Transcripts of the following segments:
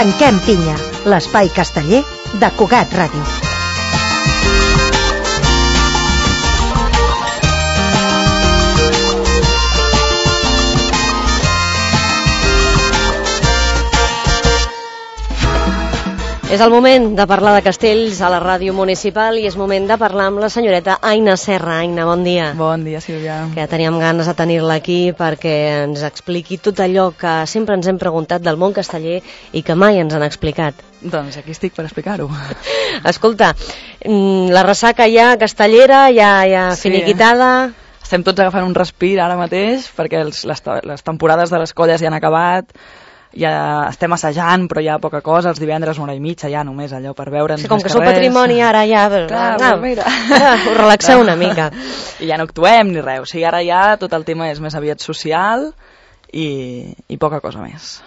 Tanquem pinya, l'espai casteller de Cugat Ràdio. És el moment de parlar de castells a la ràdio municipal i és moment de parlar amb la senyoreta Aina Serra. Aina, bon dia. Bon dia, Sílvia. Que teníem ganes de tenir-la aquí perquè ens expliqui tot allò que sempre ens hem preguntat del món casteller i que mai ens han explicat. Doncs aquí estic per explicar-ho. Escolta, la ressaca ja castellera, ja finiquitada... Estem tots agafant un respir ara mateix perquè les temporades de les colles ja han acabat, ja estem assajant, però hi ha poca cosa, els divendres una hora i mitja ja només allò per veure'ns. Sí, com que sou patrimoni ara ja... Clar, mira. Us relaxeu una mica. I ja no actuem ni res, o sigui, ara ja tot el tema és més aviat social i poca cosa més.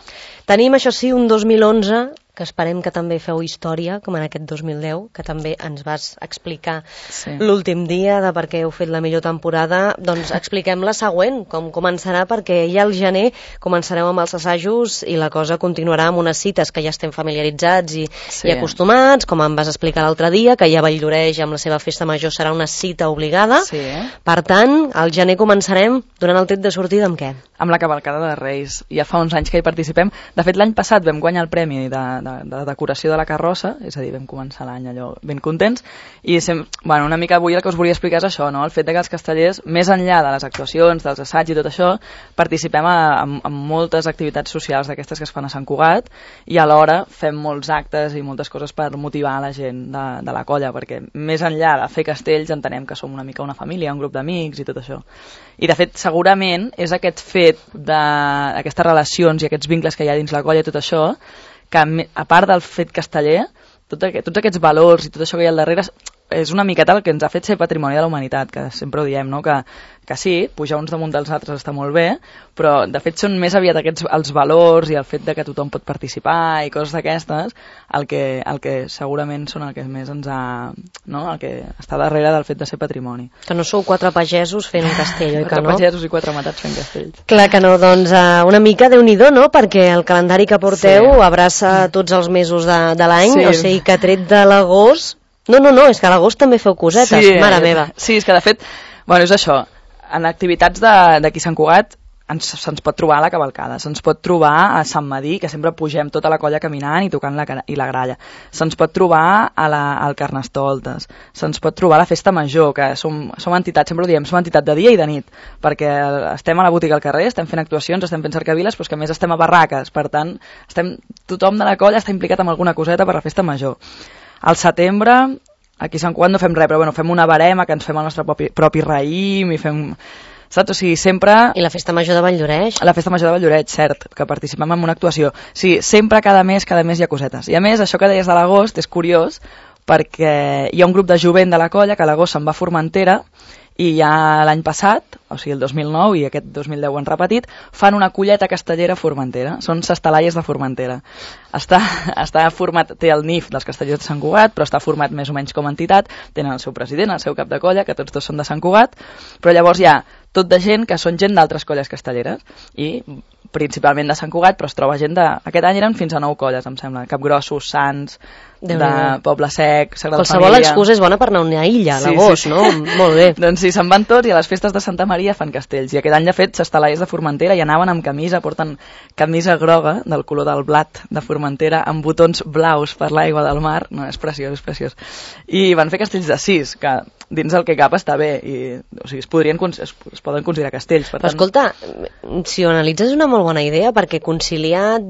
Tenim, això sí, un 2011 que esperem que també feu història, com en aquest 2010, que també ens vas explicar l'últim dia de per què heu fet la millor temporada. Doncs expliquem la següent, com començarà, perquè ja al gener començareu amb els assajos i la cosa continuarà amb unes cites que ja estem familiaritzats i acostumats, com em vas explicar l'altre dia, que ja Valldoreix amb la seva festa major serà una cita obligada. Per tant, al gener començarem donant el tret de sortida amb què? Amb la cavalcada de Reis. Ja fa uns anys que hi participem. De fet, l'any passat vam guanyar el premi de decoració de la carrossa, és a dir, vam començar l'any allò ben contents, i una mica avui el que us volia explicar és això, no? El fet que els castellers, més enllà de les actuacions, dels assaigs i tot això, participem en moltes activitats socials d'aquestes que es fan a Sant Cugat, i alhora fem molts actes i moltes coses per motivar la gent de la colla, perquè més enllà de fer castells entenem que som una mica una família, un grup d'amics i tot això. I de fet, segurament, és aquest fet d'aquestes relacions i aquests vincles que hi ha dins la colla i tot això, que a part del fet casteller, tots aquests valors i tot això que hi ha al darrere és una miqueta el que ens ha fet ser patrimoni de la humanitat, que sempre ho diem, no? Que sí, pujar uns damunt dels altres està molt bé, però de fet són més aviat els valors i el fet de que tothom pot participar i coses d'aquestes el que segurament són el que més ens ha... No? El que està darrere del fet de ser patrimoni. Que no sou 4 pagesos fent un castell, oi que no? 4 pagesos i 4 matats fent castells. Clar que no, doncs una mica Déu-n'hi-do, no? Perquè el calendari que porteu abraça tots els mesos de l'any, o sigui que tret de l'agost... No, és que a l'agost també feu cosetes, mare meva. Sí, és que de fet, és això, en activitats d'aquí Sant Cugat se'ns pot trobar a la cavalcada, se'ns pot trobar a Sant Madí, que sempre pugem tota la colla caminant i tocant la gralla, se'ns pot trobar al Carnestoltes, se'ns pot trobar a la Festa Major, que som entitat, sempre ho diem, som entitat de dia i de nit, perquè estem a la botiga al carrer, estem fent actuacions, estem fent cercaviles, però que a més estem a barraques, per tant, tothom de la colla està implicat en alguna coseta per la Festa Major. Al setembre, aquí a Sant Cugat no fem res, però fem una barema que ens fem el nostre propi raïm i fem... Saps? O sigui, sempre... I la Festa Major de Valldoreix? La Festa Major de Valldoreix, cert, que participem en una actuació. Sí, sempre cada mes hi ha cosetes. I a més, això que deies de l'agost és curiós perquè hi ha un grup de jovent de la colla que a l'agost se'n va a Formentera i ja l'any passat, o sigui el 2009 i aquest 2010 ho han repetit, fan una colleta castellera a Formentera, són Sestalaies de Formentera. Està format, té el NIF dels Castellers de Sant Cugat, però està format més o menys com a entitat, tenen el seu president, el seu cap de colla, que tots dos són de Sant Cugat, però llavors hi ha tot de gent que són gent d'altres colles castelleres i principalment de Sant Cugat, però es troba gent de... Aquest any eren fins a 9 colles, em sembla, Capgrossos, Sants, de Poble Sec, Sagrada Família... Qualsevol excusa és bona per anar a una illa, a l'agost, no? Molt bé. Doncs sí, se'n van tots i a les festes de Santa Maria fan castells. I aquest any, de fet, Sestalaies de Formentera i anaven amb camisa, porten camisa groga del color del blat de Formentera amb botons blaus per l'aigua del mar. No, és preciós, és preciós. I van fer castells de 6, que dins del que cap està bé. I, o sigui, es poden considerar castells. Per tant... Però escolta, si ho analitzes és una molt bona idea, perquè conciliar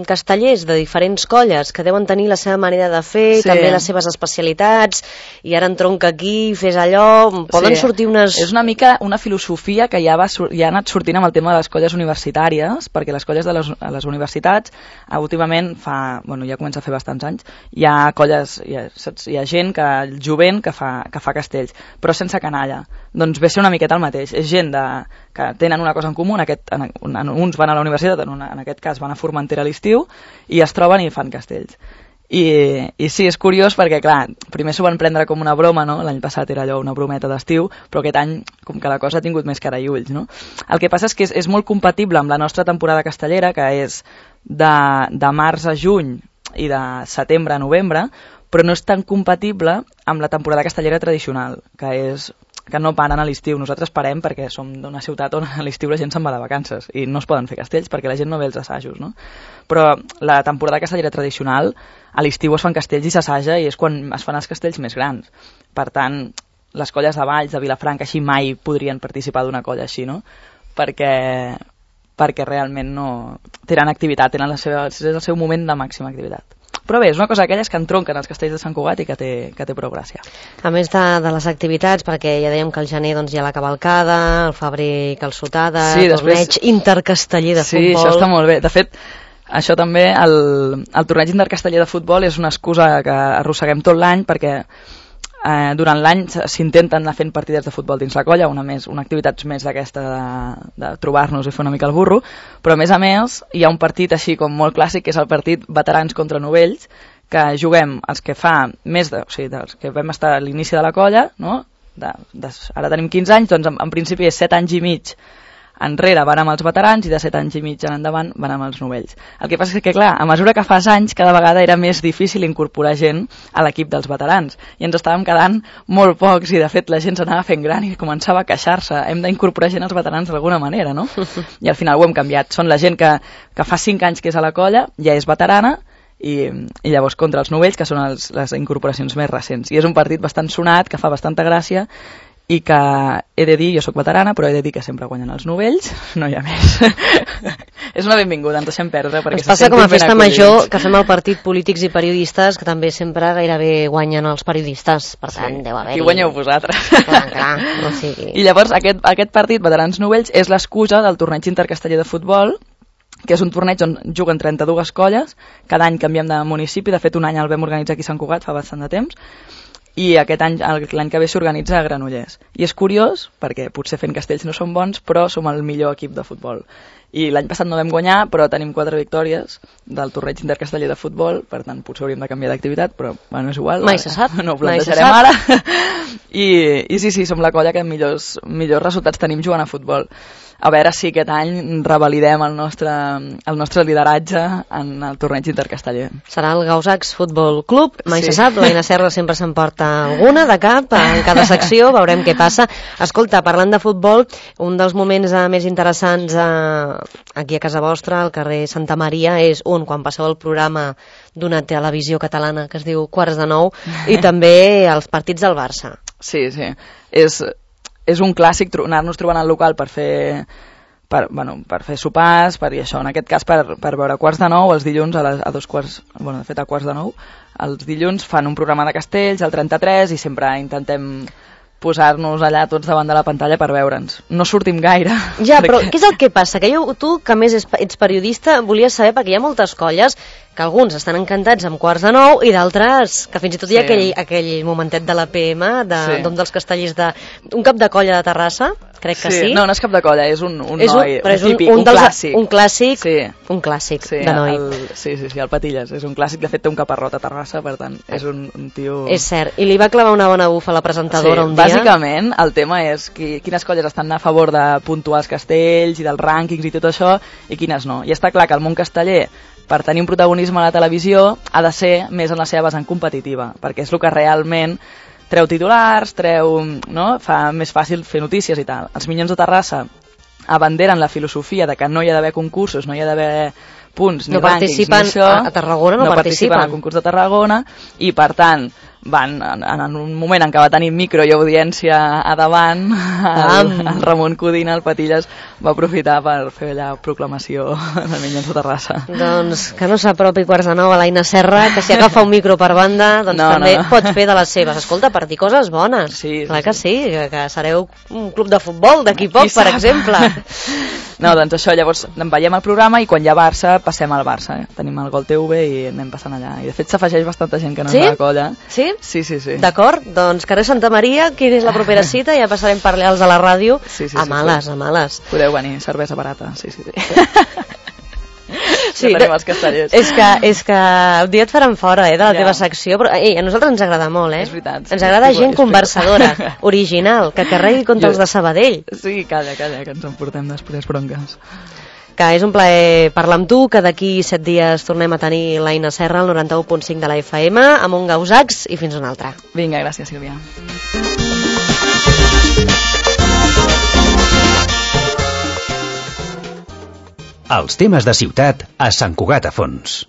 castellers de diferents colles que deuen tenir la seva manera de fer, també les seves especialitats, i ara entronca aquí, fes allò, poden sortir unes... És una mica una filosofia que ja ha anat sortint amb el tema de les colles universitàries, perquè les colles de les universitats, últimament ja comença a fer bastants anys, hi ha colles, hi ha gent, el jovent que fa castells, però sense canalla. Doncs ve a ser una miqueta el mateix. És gent que tenen una cosa en comú, uns van a la universitat, en aquest cas van a Formentera a l'estiu, i es troben i fan castells. I sí, és curiós perquè, clar, primer s'ho van prendre com una broma, no? L'any passat era allò una brometa d'estiu, però aquest any, com que la cosa ha tingut més cara i ulls, no? El que passa és que és molt compatible amb la nostra temporada castellera, que és de març a juny i de setembre a novembre, però no és tan compatible amb la temporada castellera tradicional, que no paren a l'estiu. Nosaltres parem perquè som d'una ciutat on a l'estiu la gent se'n va de vacances i no es poden fer castells perquè la gent no ve els assajos, no? Però la temporada castellera tradicional, a l'estiu es fan castells i s'assaja i és quan es fan els castells més grans. Per tant, les colles de Valls, de Vilafranca, així mai podrien participar d'una colla així, no? Perquè realment no tenen activitat, és el seu moment de màxima activitat. Però bé, és una cosa d'aquelles que entronquen els castells de Sant Cugat i que té prou gràcia. A més de les activitats, perquè ja dèiem que al gener doncs, hi ha la cavalcada, el febrer calçotada, torneig intercasteller de futbol... Sí, això està molt bé. De fet, això també, el torneig intercasteller de futbol és una excusa que arrosseguem tot l'any perquè durant l'any s'intenten anar fent partides de futbol dins la colla, una activitat més d'aquesta de trobar-nos i fer una mica el burro, però a més hi ha un partit així com molt clàssic, que és el partit veterans contra novells, que juguem els que dels que vam estar a l'inici de la colla, no? Ara tenim 15 anys, doncs en principi és 7 anys i mig enrere van amb els veterans i de 7 anys i mig en endavant van amb els novells. El que passa és que, clar, a mesura que fas anys, cada vegada era més difícil incorporar gent a l'equip dels veterans i ens estàvem quedant molt pocs i, de fet, la gent s'anava fent gran i començava a queixar-se. Hem d'incorporar gent als veterans d'alguna manera, no? I al final ho hem canviat. Són la gent que fa 5 anys que és a la colla, ja és veterana, i llavors contra els novells, que són les incorporacions més recents. I és un partit bastant sonat, que fa bastanta gràcia, i que he de dir, jo sóc veterana, però he de dir que sempre guanyen els novells, no hi ha més. És una benvinguda, ens deixem perdre. Ens passa com a festa major, que fem el partit polítics i periodistes, que també sempre gairebé guanyen els periodistes, per tant, deu haver-hi... I guanyeu vosaltres. Clar, no sigui... I llavors aquest partit, veterans novells, és l'excusa del torneig intercasteller de futbol, que és un torneig on juguen 32 colles, cada any canviem de municipi, de fet un any el vam organitzar aquí a Sant Cugat fa bastant de temps, i aquest any, l'any que ve s'organitza a Granollers. I és curiós, perquè potser fent castells no som bons, però som el millor equip de futbol. I l'any passat no vam guanyar, però tenim 4 victòries del torneig intercasteller de futbol, per tant potser hauríem de canviar d'activitat, però bueno, és igual. Mai se sap. No ho plantejarem ara. I sí, som la colla que millors resultats tenim jugant a futbol. A veure si aquest any revalidem el nostre lideratge en el torneig intercasteller. Serà el Gausacs Futbol Club, mai se sap, l'Aina Serra sempre s'emporta alguna de cap en cada secció, veurem què passa. Escolta, parlant de futbol, un dels moments més interessants aquí a casa vostra, al carrer Santa Maria, és quan passeu el programa d'una televisió catalana que es diu Quarts de Nou, i també els partits del Barça. Sí, és un clàssic anar-nos trobant al local per fer sopars, i això, en aquest cas per veure Quarts de Nou els dilluns a 2 quarts, de fet a Quarts de Nou, els dilluns fan un programa de castells al 33 i sempre intentem posar-nos allà tots davant de la pantalla per veure'ns. No sortim gaire. Ja, però què és el que passa? Que tu, que més ets periodista, volies saber, perquè hi ha moltes colles que alguns estan encantats amb Quarts de Nou i d'altres que fins i tot hi ha aquell momentet de la PM d'un dels castellers d'un cap de colla de Terrassa, crec que sí. No és cap de colla, és un noi típic, un clàssic. Un clàssic de noi. Sí, el Patilles, és un clàssic, de fet té un caparrot a Terrassa, per tant és un tio... És cert, i li va clavar una bona bufa a la presentadora un dia. Bàsicament el tema és quines colles estan a favor de puntuar els castells i dels rànquings i tot això i quines no. I està clar que el món casteller, per tenir un protagonisme a la televisió, ha de ser més en la seva vessant competitiva, perquè és el que realment treu titulars, fa més fàcil fer notícies i tal. Els Minyons de Terrassa abanderen la filosofia de que no hi ha d'haver concursos, no hi ha d'haver punts ni rànquings, ni això. A Tarragona no participen al concurs de Tarragona i, per tant, van, en un moment en què va tenir micro i audiència a davant, el Ramon Codina, el Patilles, va aprofitar per fer allà proclamació de Minyons de Terrassa. Doncs que no s'apropi Quarts de Nou a l'Aina Serra, que si agafa un micro per banda, doncs també pot fer de les seves. Escolta, per dir coses bones. Clar que sí, que sereu un club de futbol d'aquí poc, per exemple. No, doncs això, llavors veiem el programa i quan hi ha Barça passem al Barça. Tenim el Gol TV i anem passant allà. I de fet s'afegeix bastanta gent que no és de la colla. Sí? Sí. D'acord, doncs carrer Santa Maria, quina és la propera cita? Ja passarem per allà els de la ràdio. A males. Podeu venir, cervesa barata. Sí. Sí, tenim els castellers. És que un dia et faran fora de la teva secció, però a nosaltres ens agrada molt, És veritat. Ens agrada gent conversadora, original, que carregui contra els de Sabadell. Sí, calla, que ens emportem després bronques. que és un plaer parlar amb tu, que d'aquí 7 dies tornem a tenir l'Aina Serra al 91.5 de la FM, amb un Gausacs i fins una altra. Vinga, gràcies, Sílvia. Els temes de ciutat a Sant Cugat a Fons.